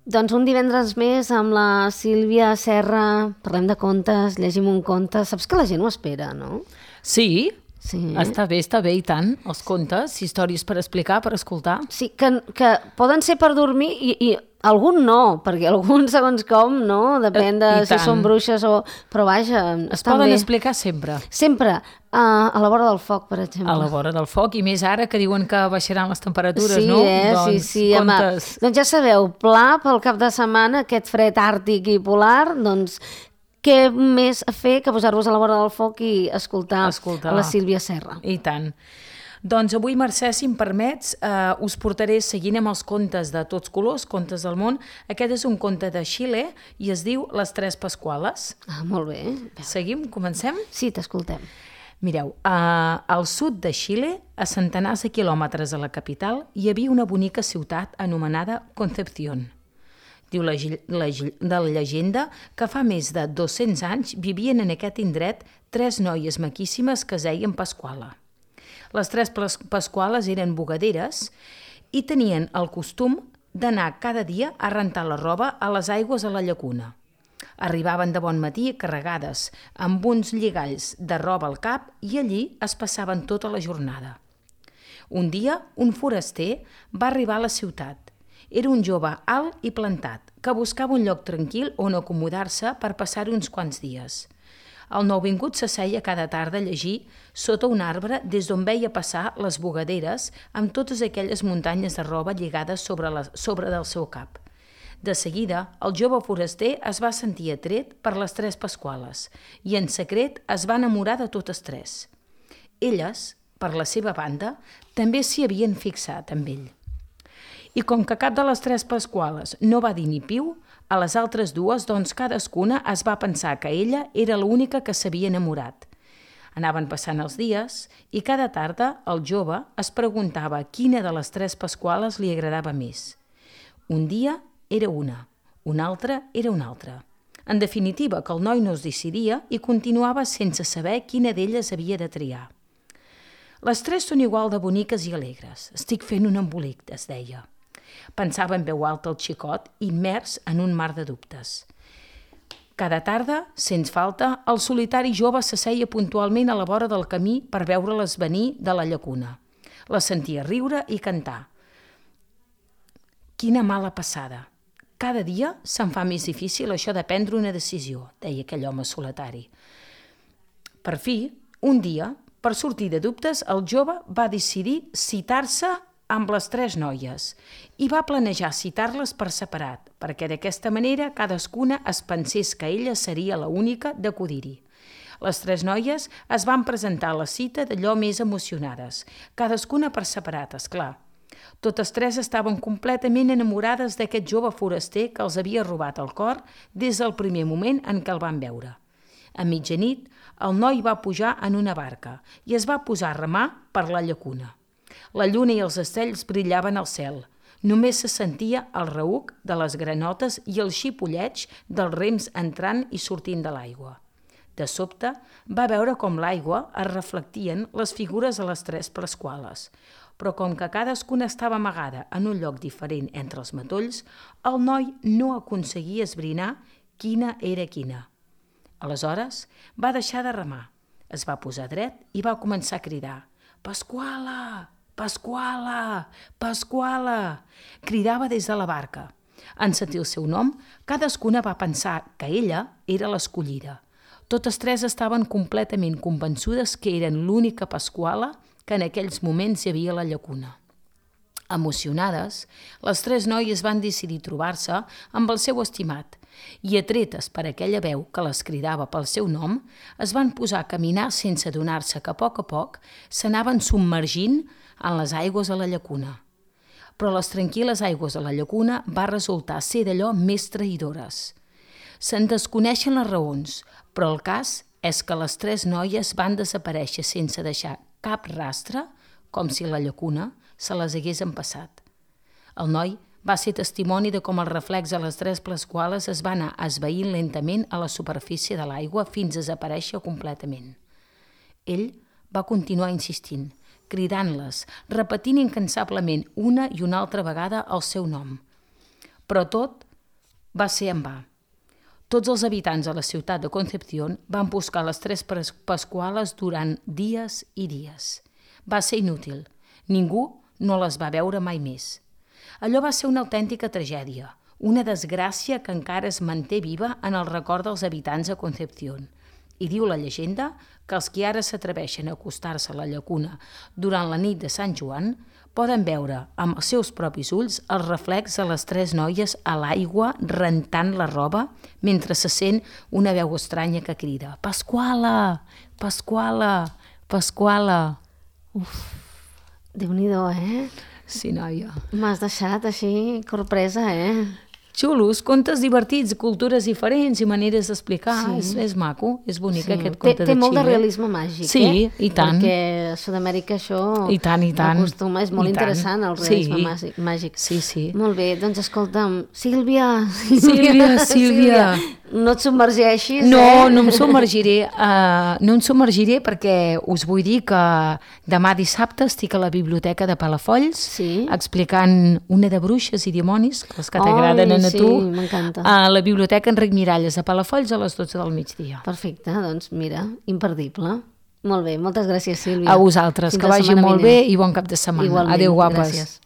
Doncs un divendres més amb la Sílvia Serra, parlem de contes, llegim un conte. Saps que la gent ho espera, no? Sí, Sí. està bé i tant. Els contes, històries per explicar, per escoltar. Sí, que poden ser per dormir i algun no, perquè alguns segons com, no? Depèn de I si tant. són bruixes o... Però vaja, Es estan poden bé. explicar sempre. Sempre, a la vora del foc, per exemple. A la vora del foc, i més ara que diuen que baixaran les temperatures, Sí, no? sí, sí. Contes... Doncs ja sabeu, pla pel cap de setmana, aquest fred àrtic i polar, doncs què més a fer que posar-vos a la vora del foc i escoltar la Sílvia Serra. I tant. Doncs avui, Mercè, si em permets, us portaré, seguint amb els contes de tots colors, contes del món. Aquest és un conte de Xile i es diu Les Tres Pasquales. Ah, molt bé. Seguim? Comencem? Sí, t'escoltem. Mireu, al sud de Xile, a centenars de quilòmetres de la capital, hi havia una bonica ciutat anomenada Concepción. Diu la llegenda que fa més de 200 anys vivien en aquest indret 3 noies maquíssimes que es deien Pasquala. Les 3 Pasquales eren bugaderes i tenien el costum d'anar cada dia a rentar la roba a les aigües a la llacuna. Arribaven de bon matí carregades amb uns lligalls de roba al cap i allí es passaven tota la jornada. Un dia, un foraster va arribar a la ciutat. Era un jove alt i plantat, que buscava un lloc tranquil on acomodar-se per passar-hi uns quants dies. El nouvingut s'asseia cada tarda a llegir sota un arbre des d'on veia passar les bugaderes amb totes aquelles muntanyes de roba lligades sobre del seu cap. De seguida, el jove foraster es va sentir atret per les 3 Pasquales i en secret es va enamorar de totes 3. Elles, per la seva banda, també s'hi havien fixat amb ell. I com que cap de les 3 Pasquales no va dir ni piu, a les altres 2, doncs cadascuna es va pensar que ella era l'única que s'havia enamorat. Anaven passant els dies i cada tarda el jove es preguntava quina de les 3 Pasquales li agradava més. Un dia era una altra era una altra. En definitiva, que el noi no es decidia i continuava sense saber quina d'elles havia de triar. Les 3 són igual de boniques i alegres. Estic fent un embolic, es deia. Pensava en veu alta el xicot, immers en un mar de dubtes. Cada tarda, sens falta, el solitari jove s'asseia puntualment a la vora del camí per veure-les venir de la llacuna. Les sentia riure i cantar. Quina mala passada. Cada dia se'm fa més difícil això de prendre una decisió, deia aquell home solitari. Per fi, un dia, per sortir de dubtes, el jove va decidir citar-se amb les 3 noies i va planejar citar-les per separat, perquè d'aquesta manera cadascuna es pensés que ella seria l'única d'acudir-hi. Les 3 noies es van presentar a la cita d'allò més emocionades, cadascuna per separat, esclar. Totes 3 estaven completament enamorades d'aquest jove foraster que els havia robat el cor des del primer moment en què el van veure. A mitjanit, el noi va pujar en una barca i es va posar a remar per la llacuna. La lluna i els estells brillaven al cel. Només se sentia el reuc de les granotes i el xipolleig dels rems entrant i sortint de l'aigua. De sobte, va veure com l'aigua es reflectien les figures de les 3 Pasquales, però com que cadascuna estava amagada en un lloc diferent entre els matolls, el noi no aconseguia esbrinar quina era quina. Aleshores, va deixar de remar, es va posar dret i va començar a cridar «Pasquala! Pasquala! Pasquala!» Cridava des de la barca. En sentir el seu nom, cadascuna va pensar que ella era l'escollida. Totes 3 estaven completament convençudes que eren l'única Pasquala que en aquells moments hi havia a la llacuna. Emocionades, les 3 noies van decidir trobar-se amb el seu estimat i, atretes per aquella veu que les cridava pel seu nom, es van posar a caminar sense adonar-se que a poc s'anaven submergint en les aigües de la llacuna. Però les tranquil·les aigües de la llacuna va resultar ser d'allò més traïdores. Se'n desconeixen les raons, però el cas és que les 3 noies van desaparèixer sense deixar cap rastre, com si la llacuna se les hagués empassat. El noi va ser testimoni de com el reflex de les 3 Pasquales es va anar esvaint lentament a la superfície de l'aigua fins a desaparèixer completament. Ell va continuar insistint, cridant-les, repetint incansablement una i una altra vegada el seu nom. Però tot va ser en va. Tots els habitants de la ciutat de Concepción van buscar les 3 Pasquales durant dies i dies. Va ser inútil. Ningú no les va veure mai més. Allò va ser una autèntica tragèdia, una desgràcia que encara es manté viva en el record dels habitants de Concepción. I diu la llegenda que els que ara s'atreveixen a acostar-se a la llacuna durant la nit de Sant Joan poden veure amb els seus propis ulls el reflex de les 3 noies a l'aigua rentant la roba mentre se sent una veu estranya que crida «Pasquala! Pasquala! Pasquala!». Déu-n'hi-do, Sí, noia. M'has deixat així, corpresa, Xulos, contes divertits, cultures diferents i maneres d'explicar. És maco, és bonic aquest conte de Xile. Té molt de realisme màgic, Sí, i tant. Perquè a Sud-amèrica això I tant. acostuma, és molt interessant el realisme màgic. Sí. Molt bé, doncs escolta'm, Sílvia. No et submergeixis, No em submergiré. No em submergiré perquè us vull dir que demà dissabte estic a la biblioteca de Palafolls explicant una de bruixes i dimonis, les que t'agraden a tu, m'encanta. A la biblioteca Enric Miralles de Palafolls a les 12 del migdia. Perfecte, doncs mira, imperdible. Molt bé, moltes gràcies, Sílvia. A vosaltres, que vagi molt bé i bon cap de setmana. Igualment, Adéu, guapes. Gràcies.